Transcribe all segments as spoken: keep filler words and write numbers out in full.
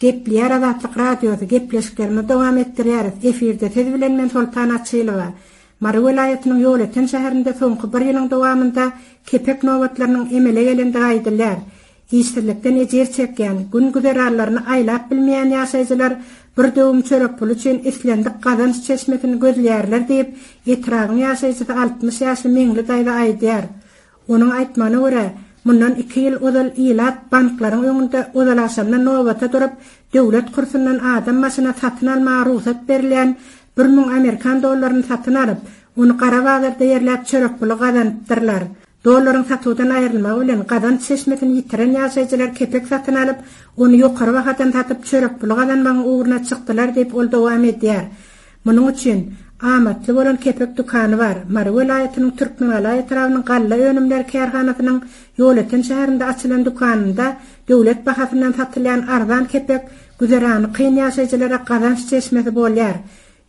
Gepleýär Azatlyk Radiosy, gepleşiklerimizi dowam etdirýäris. Efirde siz bilen men Soltan Açylowa. Mary welaýatynyň Ýolöten şäherinde soňky bir ýylyň dowamynda kepek nobatlarynyň emele gelendigi aýdylýar. Işsizlikden ejir çekýän, gün-güzeranlaryny aýlap bilmeýän ýaşaýjylar bir döwüm çörek puly üçin islendik gazanç çeşmesini gözleýärler diýip, etrabyň ýaşaýjysy altmyş ýaşly Meňli daýza aýdýar. Onuň aýtmagyna görä, mundan iki ýyl ozal ilat banklaryň öňünde ozal-agşamdan nobata durup, döwlet kursundan adam başyna satyn almaga rugsat berilýän bir müň amerikan dollaryny satyn alyp, ony gara bazarda ýerläp çörek puly gazanypdyrlar. Dollaryň satuwdan aýrylmagy bilen gazanç çeşmesini ýitiren ýaşaýjylar kepek satyn alyp, ony ýokary bahadan satyp çörek puly gazanmagyň ugruna çykdylar diýip ol dowam edýär. Munuň üçin amatly bolan kepek dükany bar. Mary welaýatynyň Türkmengala etrabynyň galla önümleri kärhanasynyň Ýolöten şäherinde açylan dükanynda döwlet bahasyndan satylýan arzan kepek güzerany kyn ýaşaýjylara gazanç çeşmesi bolýar.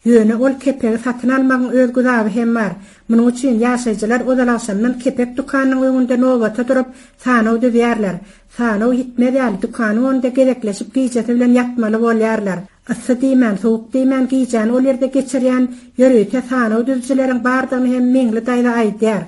Ýöne ol kepegi satyn almagyň öz güzaby hem bar. Munuň üçin ýaşaýjylar ozal-agşamdan kepek dükanynyň öňünde nobata durup sanaw düzýärler. Sanaw ýitmez ýaly dükanyň öňünde gezekleşip gijesi bilen ýatmaly bolýarlar. Yssy diýmän, sowuk diýmän gijäni ol ýerde geçirýän ýörite sanaw düzüjileriň bardygyny hem Meňli daýza aýdýar.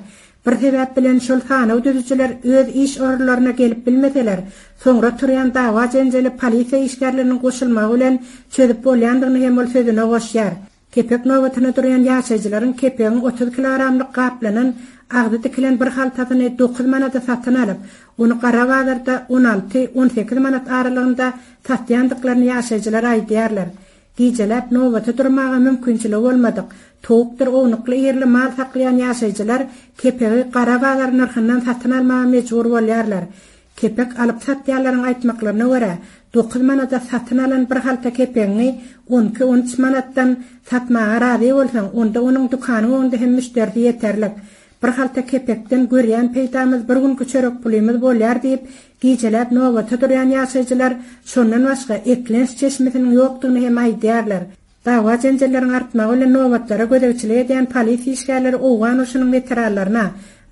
Bir sebäp bilen şol sanaw düzüjiler öz iş orunlaryna gelip bilmeseler, soňra turýan dawa-jenjeli polisiýa işgärleriniň goşulmagy bilen çözüp bolýandygyny hem ol sözüne goşýar. Kepek nobatyna durýan ýaşaýjylaryň kepegiň otuz kilogramlyk gaplanan agzy dikilen bir haltasyny dokuz manada satyn alyp, ony gara bazarda on alty, on sekiz manat aralygynda satýandyklaryny ýaşaýjylar aýdýarlar. Gijeläp nobata durmaga mümkinçiligi bolmadyk, towukdyr ownukly ýerli mal saklaýan ýaşaýjylar kepegi gara bazar nyrhyndan satyn almaga mejbur bolýarlar. Kepek alyp satýanlaryň aýtmaklaryna görä, dokuz manada satyn alan bir halta kepegiňi on iki, on üç manatdan satmaga razy bolsaň, onda onuň dükanyň öňünde hem müşderisi ýeterlik. Bir halta kepekden görýän peýdamyz bir günki çörek pulymyz bolýar diýip, gijeläp nobata durýan ýaşaýjylar şondan başga eklenç çeşmesiniň ýokdugyny hem aýdýarlar. Dawa-jenjelleriň artmagy bilen nobatlara gözegçilik edýän polisiýa işgärleri Owgan urşunyň weteranlaryna,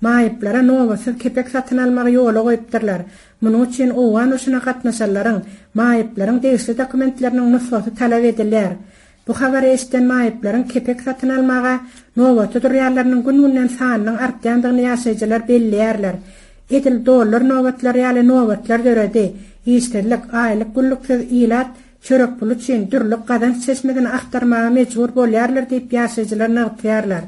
maýyplara nobatsyz kepek satyn almagy ýola goýupdyrlar. Munuň üçin Owgan urşuna gatnaşanlaryň, maýyplaryň degişli dokumentleriniň nusgasy talap edilýär. Bu habary eşiden maýyplaryň kepek satyn almaga nobata durýanlarynyň gün-günden sanynyň artýandygyny ýaşaýjylar belleýärler. Edil dollar nobatlary ýaly nobatlar döredi. Işsizlik, aýlyk günlüksiz ilat çörek puly üçin dürli gazanç çeşmesini aktarmaga mejbur bolýarlar diýip ýaşaýjylar nygtaýarlar.